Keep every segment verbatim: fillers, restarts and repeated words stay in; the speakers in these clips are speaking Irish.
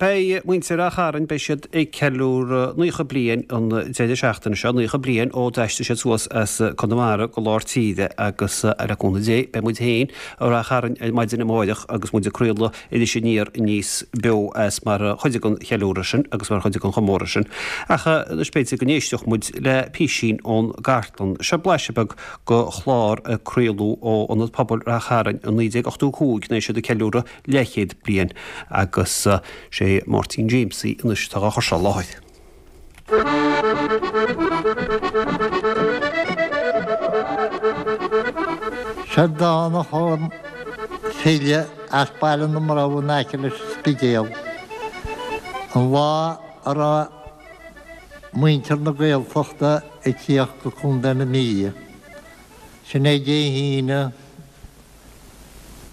Beidh muintir Ráth Chairn, beidh siad ag ceiliúradh naocha bliain an deireadh seachtaine seo, naocha bliain ó d'aistrigh siad suas as Conamara go lár tíre agus le cúnamh Dé beidh muid féin i Ráth Chairn ar maidin amárach agus muid ag craoladh Iris Aniar aníos beo as mar chuid den cheiliúradh sin agus mar chuid den chomóradh sin. Ach anois b'fhéidir go n-éisteodh muid le písín ón gcartlann. Seo blaiseadh beag de chlár a craoladh ó Ionad Pobail Ráth Chairn i naoi déag ochtó a cúig nuair a bhí siad ag ceiliúradh leathchéad bliain agus sé Máirtín Jamesie anois atá á chur seo i láthair. Seo dán a chum file as Baile na mBrobh in aice leis an Spidéal an lá a raibh muintir na Gaeltachta ag tíocht go Contae na Mí. Sin é Dé hAoine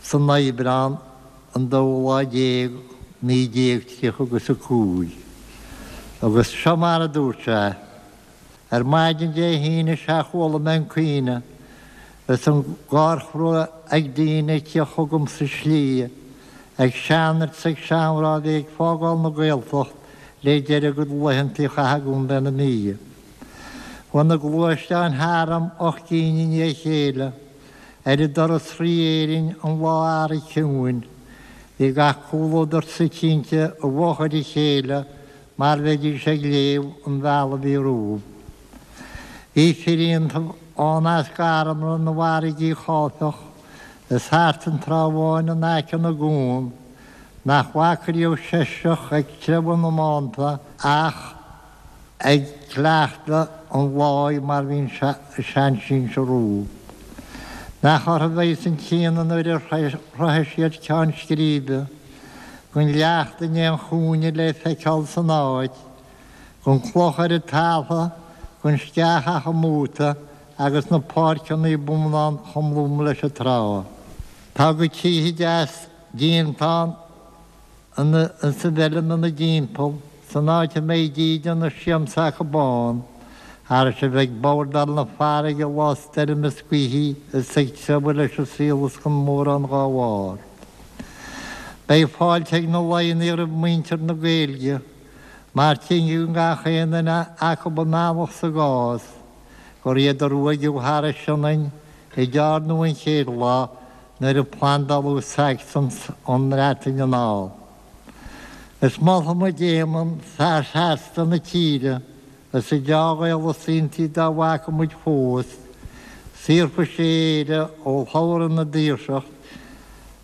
san Aibreán an dóú lá déag naoi déag tríocha agus a cúig. Agus seo mar a dúirt sé, Ar maidin Dé hAoine sea chuala mé an caoineadh is an gháir chrua ag daoine ag tíocht chugam sa slí, ag seanfhir 's ag seanmhná a bhí ag fágáil na Gaeltacht le deireadh a gcuid laethanta a chaitheamh i gContae na Mí. Chuaigh na gluaisteáin tharam ocht gcinn i ndiaidh a chéile, Ar a dturas thrí Éirinn an lá earraigh chiúin, bhí gach comhluadar suite inti i bhfochair a chéile mar bheidís ag léamh an bhealaigh a bhí rompu. Bhí fir iontu ann as Garmna na bhfarraigí cháifeach is thart an Trá Bháin in aice na gcuan, nach bhfaca riamh seisreach ag treabhadh na mbánta ach ag cleachtadh an láí mar bhí a seansinsir rompu. Nach orthu a bheas an t-ionadh nuair a shroichfidh siad ceann scríbe, gan leacht in aon chúinne le feiceáil san áit, gan cloch ar an talamh, gan sceach ach i mbúta agus na páirceanna bonnán chomh lom leis an trá. Tá a gcuid tithe deas déanta ann. Insa bhfeilm ina dtimpeall, san áit a mbeidh dídean is siamsa acu ann, thairis a bheith ag bordáil na farraige lá stoirme is gaoithe is ag treabhadh leis an saol is gan mórán dhá bharr. Beidh fáilte ag na Laighnigh roimh mhuintir na Gaeilge, mar tuigeann gach aon duine acu a mbealach sa gcás gur iad a ruaigeadh thar an Sionainn i dTearnamh an chéad lá nuair a plandáladh Sacsans ón mBreatain anall. Is molfaidh muid Éamonn, fear seasta na tíre, is an deá-Ghael is iontaí dá bhfaca muid fós, saorfaidh sé Éire ó shlabhra na daoirseacht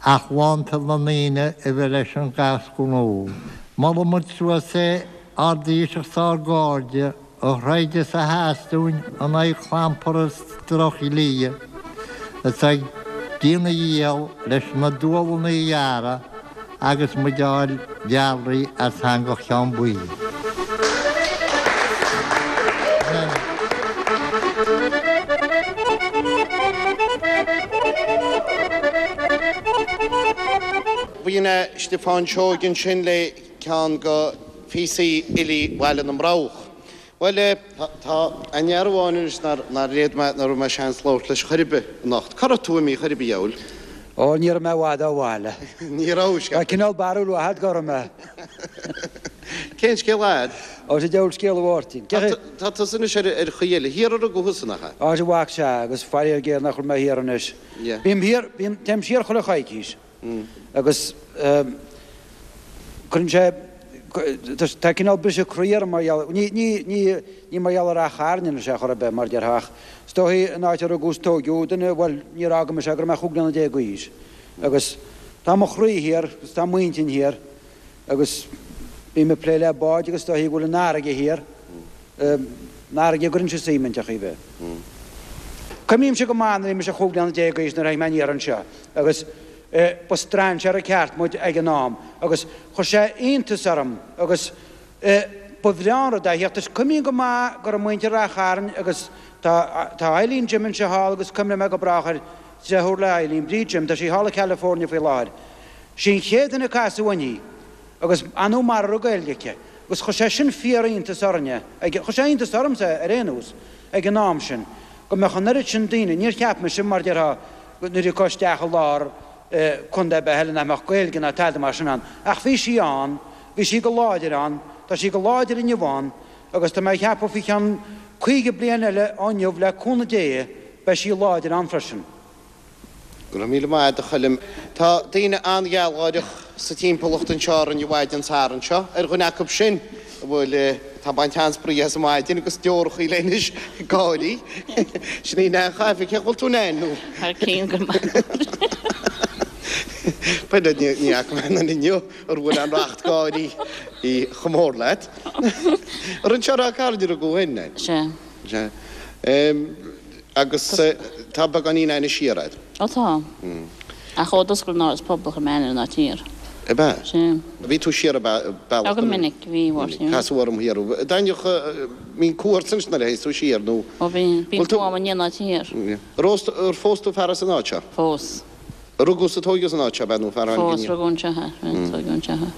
ach lántoil na ndaoine a bheith leis an gcás gnó. Molfaidh muid suas é, ár dTaoiseach 's ár gcairde, A throid is a sheas dúinn in aghaidh clampar is drochdhlíthe, is ag déanamh a dhícheall leis na dualanna a ghearradh agus muid a fháil dealraithe as eangach Cheann Buí. B'in é Stiofán Seoige ansin le ceann de phíosaí fhilí Bhaile na mBroghach. Bhuel, tá ainnear amháin anois nár fhéad mé, ná raibh mé seans labhairt leis chor ar bith anocht. Cá raibh tú imithe chor ar bith, a dhiabhail? Ó, ní raibh mé i bhfad ó bhaile. Ní raibh, sea. Tá cineál barúil mhaith agat go raibh mé. Cén scéal a'd? Ó, is é diabhal scéal a Mháirtín. Tá tusa anois ar chaoi eile. Thiar a rugadh thusa, nach ea? Á, sea, a mhac, sea, agus faraor géar nach bhfuil mé thiar anois. Bím thiar, bím, téim siar chuile choicís. Agus cuireann sé, tá cineál briseadh croí orm mar gheall, ní, ní, ní, ní mar gheall ar Ráth Chairn anois ar chor ar bith, mar a déarfá, ach is dóichí an áit a rugadh is tóigeadh duine, bhuel, níor fhága mise go raibh mé chúig bliana déag d'aois. Agus tá mo chroí thiar agus tá m'intinn thiar agus bím ag plé le báid agus is dóichí go bhfuil an fharraige thiar. An fharraige a gcuireann sé suim iontu a bheith. Cuimhnímse go maith nuair a bhí mise chúig bliana déag d'aois nuair a tháinig mé aniar anseo agus ba strainséara ceart muid ag an am agus chuir sé iontas orm agus ba bhreá an rud é a theacht. Is cuimhním go maith go raibh muintir Ráth Chairn agus tá tá Eileen Jim anseo thall agus cuimhneoidh mé go brách air, deartháir le Eileen, Bríd Jim, tá sí thall i California faoi láthair. Sí an chéad duine a casadh uirthi agus ar ndóigh mara raibh Gaeilge aici. Agus chuir sé sin fíor-iontas orainne, chuir sé iontas ormsa ar aon nós, ag an am sin, go mbeadh an oiread sin daoine, níor cheap mise, mar a déarfá, nuair a thiocfá isteach i lár contae ar bith eile nach mbeadh Gaeilge ná tada mar sin ann, ach bhí sí ann bhí sí go láidir ann, tá sí go láidir inniu ann agus tá mé ag ceapadh faoi cheann caoga bliain eile ó inniu le cúnamh Dé beidh sí láidir ann freisin. Go raibh míle maith agat a Choilm. Tá daoine an-ghealgháireach sa timpeallacht anseo orainn an mhaidin Sathairn seo. Ar dhuine acu sin a bhfuil, tá ag baint an-spraoi as an maidin agus deorachaí léi anois, gáirí. Sin í Nan Chaifeach. Cén chaoi a bhfuil tú Nan nó? Thar cionn go maith. B'fhéidir ní fhaca mé aon duine inniu ar bhuail an racht gáirí chomh mór leat. Ar anseo i Ráth Cairn a rugadh thú féin, Nan? Sea. Sea. Agus tá beagáinín aithne siar agat. Ó tá. Ach ó d'oscail an Áras Pobail chuir mé aithne ar an áit thiar. Ab ea? Sea. Bhí tú siar an bealach? Ó go minic, bhí, a Mháirtín. Casadh orm thiar thú. D'aithneodh, mbíonn cumha ort anois nuair a théas tú siar nó? Ó bhíonn, bíonn cumha orm i ndiaidh an áit thiar. Ar phós tú fear as an áit seo? Phós. Rugadh is a tóigeadh san áit seo, ab ea, nó fear a tháinig Phós, rugadh anseo é, tóigeadh anseo é.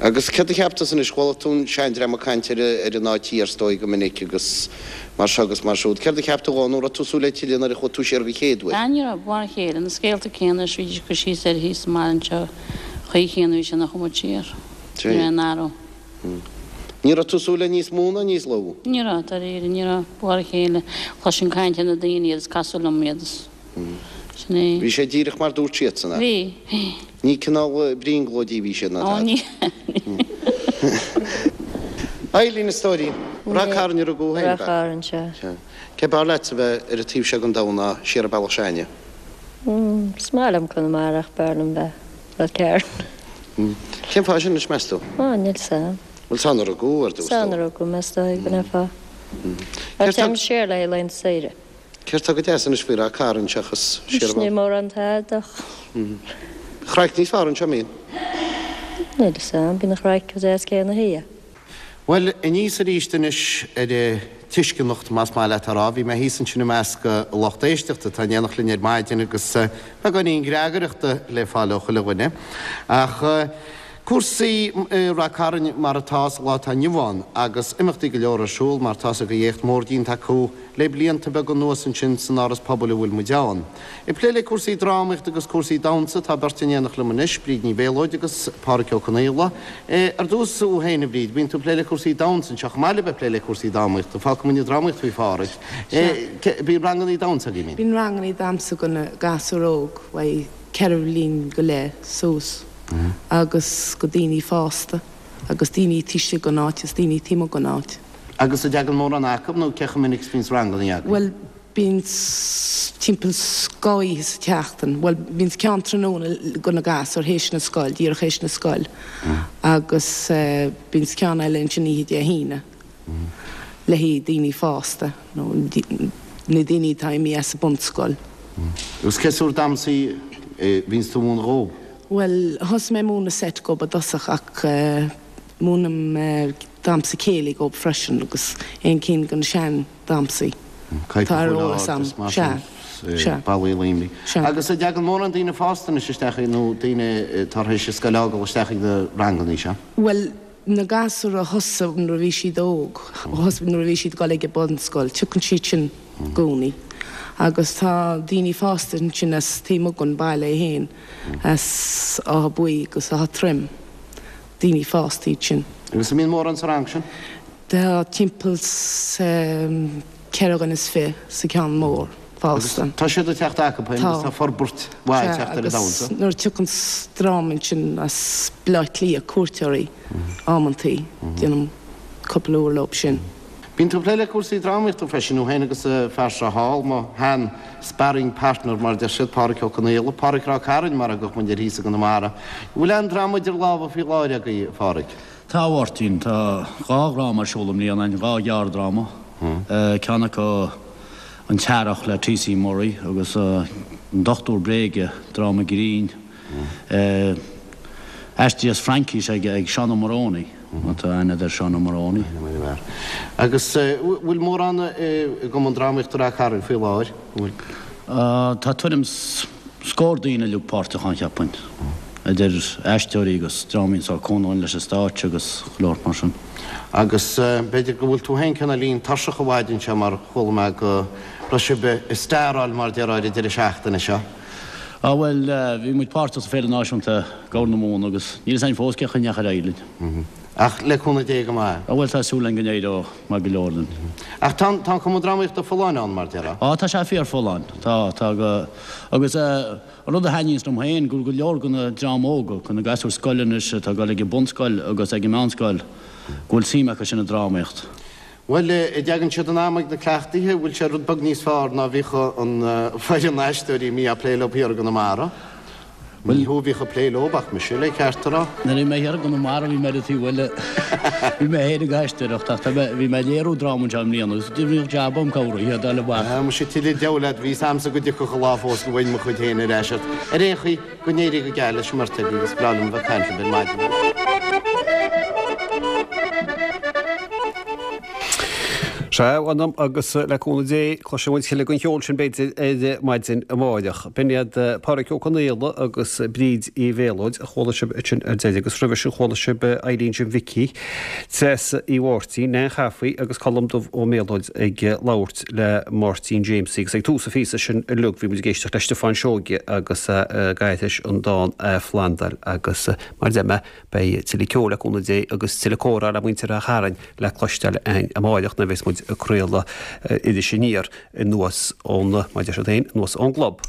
Agus céard a cheap tusa anois, chuala tú an seandream ag caint ar ar an áit thiar is dóigh go minic agus mar seo agus mar siúd. Céard a cheap tú dhó, nó raibh tú ag súil le tuilleadh nuair a chuaigh tú siar go chéad uair? Ah, ní raibh, mar a chéile, na scéalta céanna is bhídís ag cur síos air thíos sa mbaile anseo, chaoi chéanna a bhí sé nuair a chuaigh muid siar. Ní raibh aon athrú. Ní raibh tú ag súil le níos mó ná níos lú? Ní raibh, dáiríre, ní raibh, mar a chéile, chloisinn caint ar na daoine iad is casadh liom iad is. Sin é. Bhí sé díreach mar dúirt siadsan, ach. Bhí, bhí. Ní cineál brionglóidí a bhí siad ná Ó, tada. ní. Eileen, a stóirín. Ráth Cairn a rugadh thú féin, ab Ráth ea? Chairn, sea. Sea. Cé b'fhearr leatsa bheith ar an taobh seo den domhan ná siar an bealach s'againne? Is maith liom Conamara ach b'fhearr liom bheith Ráth Cairn. Cén fáth sin anois, meas tú? Ó, níl 's a'm. Bhuel, is ann a rugadh thú ar dtús, Is ann a rugadh mé, is dóigh, go mbeifeá. Céard tá. Téim siar le haghaidh laethanta saoire. Céard tá go deas anois faoi Ráth Cairn seachas siar Anois níl mórán tada ach. Craic níos fearr anseo, mbíonn? Níl 'fhios a'm, bíonn an chraic chomh deas céanna thiar. Bhuel, aníos arís anois ar an tuisceanacht, más maith leat a rá. Bhí mé thíos ansin i measc an lucht éisteachta atá in éineacht linn ar maidin agus beagáinín greagaireachta le fáil ó chuile dhuine. Ach cúrsaí i Rath Cairn mar atá sa lá atá inniu ann agus imeachtaí go leor ar siúl mar tá's agaibh éacht mór déanta acu le blianta beaga anuas ansin san Áras Pobail a bhfuil muid ann. Ag plé le cúrsaí drámaíochta agus cúrsaí damhsa tá beirt in éineacht liom anois, Bríd Ní Mhéalóid agus Pádhraic Ó Conaola. Ar dtús thú féin a Bhríd, bíonn tú ag plé le cúrsaí damhsa anseo chomh maith le bheith ag plé le cúrsaí drámaíochta. Fágfaidh muid an drámaíocht faoi Phádhraic. Bíonn rangannaí damhsa agaibh, an mbíonn? Bíonn rangannaí damhsa do na gasúir óg, ó ceithre bhliain go leith suas. agus go daoine fásta agus daoine taobh istigh den áit is daoine taobh amuigh den áit. Agus an dtagann mórán acu nó cé chomh minic is bhíonns rangannaí agaibh? Bhuel, bíonn timpeall dhá oíche sa tseachtain. Bhuel, bíonn ceann tráthnóna go na gasúir théis na scoil, díreach théis na scoil agus bíonn ceann eile ansin oíche Dé hAoine le haghaidh daoine fásta nó na daoine atá imithe as an bunscoil. Agus cé sórt damhsaí a bhíonns tú a mhúineadh dhóibh? Bhuel, thosaigh mé ag múineadh seit dhóibh i dtosach ach múinim damhsa céilí dhóibh freisin agus aon cinn de na sean damhsaí atá ar eolas a'm. Sea, sea. Ballaí Luimnigh. Sea. Agus an dtagann mórán daoine fásta anois isteach nó daoine atá tar éis an scoil a fhágáil isteach ag na rangannaí seo? Bhuel, na gasúir a thosaigh nuair a bhí siad óg, thosaigh nuair a bhí siad ag dul ag an bunscoil, tiocfaidh siad sin i gcónaí. Agus tá daoine fásta ansin as taobh amuigh den baile é féin, as Áth Buí agus Áth Troim, daoine fásta iad sin. Agus an mbíonn mórán sa rang sin? Tá timpeall ceithre dhuine is fiche sa ceann mór fásta. Agus tá siad ag teacht acu féin agus tá forbairt mhaith ag teacht ar an damhsa. Agus nuair a tiocfaidh dream ansin as Baile Átha Cliath, cuairteoirí, amantaí, déanaim cúpla uair leo sin. Bíonn tú ag plé le cúrsaí drámaíochta freisin, thú féin agus an fear seo thall, mo shean sparring partner mar a deir siad, Pádhraic Ó Conaola, Pádhraic Ráth Cairn mar a thugadh muid air thíos i gConamara. An bhfuil aon dráma idir lámha faoi láthair agaibh, a Phádhraic? Tá, a Mháirtín. Tá dhá dhráma ar siúl i mbliana againn, dhá ghearrdráma. Ceann acu An tEarrach le T.C. Murray agus An Dochtúir Bréige, dráma grinn. Aistrithe as Fraincis ag Seán Ó Morónaí, má tá aithne agat ar Seán Ó Morónaí. Agus bhfuil mórán i gCumann Drámaíochta Ráth Cairn faoi láthair? Bhfuil? Tá tuairim 's scór daoine uilig páirteach ann, cheapfainn, idir aisteoirí agus drámaí sórt cúnamh leis an stáitse agus go leor mar sin. Agus b'fhéidir go bhfuil tú féin cineáilín tuirseach an mhaidin seo mar chuala mé go raibh sibh ag staráil mar déarfá ar an deireadh seachtaine seo. Á bhuel, bhí muid páirteach sa Féile Náisiúnta Gobhar na Móna agus níl fhios againn fós cén chaoi a ndeachaigh ar aghaidh linn. Ach le cúnamh Dé go maith. Á bhuel, tá súil againn go n-éireoidh maith go leor linn. Ach tá an, tá an Cumann Drámaíochta folláin ann, mar déarfá? Á, tá sé fíor folláin. Tá, tá go, agus an rud a thaitníonns liom féin, go bhfuil go leor de na dream óga, de na gasúir scoile anois atá ag dul ag an bunscoil agus ag an meánscoil, go bhfuil suim acu sin i drámaíocht. Bhuel, an dtagann siad in am ag na cleachtaithe, bhfuil sé rud beag níos fearr ná bhíodh an foireann aisteoirí a mbíodh ag plé leo thiar i gConamara? Ní thú a bhíodh ag plé leo ach mise, le ceart a rá. Nuair a bhí mé thiar i gConamara bhí mé ar an taobh eile. Bhí mé féin ag aisteoireacht ach tá mé, bhí mé ag léiriú dráma anseo i mbliana agus bhíodh jab agam cabhrú iad a fháil amach. Ah, muise tuilleadh deabhal leat, bhí 'fhios a'msa go dtiocfadh an lá fós go bhfaighinn mo chuid féin ar ais ort. Ar aon chaoi, Go n-éirí go geal leis an mbeirt agaibh agus breá liom a bheith ag caint libh ar maidin. Sea, mh'anam agus le cúnamh Dé, cloisfidh muid tuilleadh den cheol sin b'fhéidir ar maidin amáireach. B'in iad Pádraig Ó Conaola agus Bríd Uí Mhéalóid a chuala sibh ansin ar deireadh agus roimhe sin chuala sibh Eileen Jim Mhicí, Treasa Uí Mháirtín, Nan Chaffey agus Colm Dubh Ó Méalóid ag labhairt le Máirtín Jaimsie agus ag tús an phíosa sin uilig bhí muid ag éisteacht le Stiofán Seoige agus é ag aithris an dán Athphlandáil agus mar a deir mé beidh tuilleadh ceoil le cúnamh Dé agus tuilleadh comhrá le muintir Ráth Chairn le cloisteáil againn amáireach nuair a bheas muid ag craoladh Iris Aniar anuas ón, mar a deir siad féin, anuas ón gclub.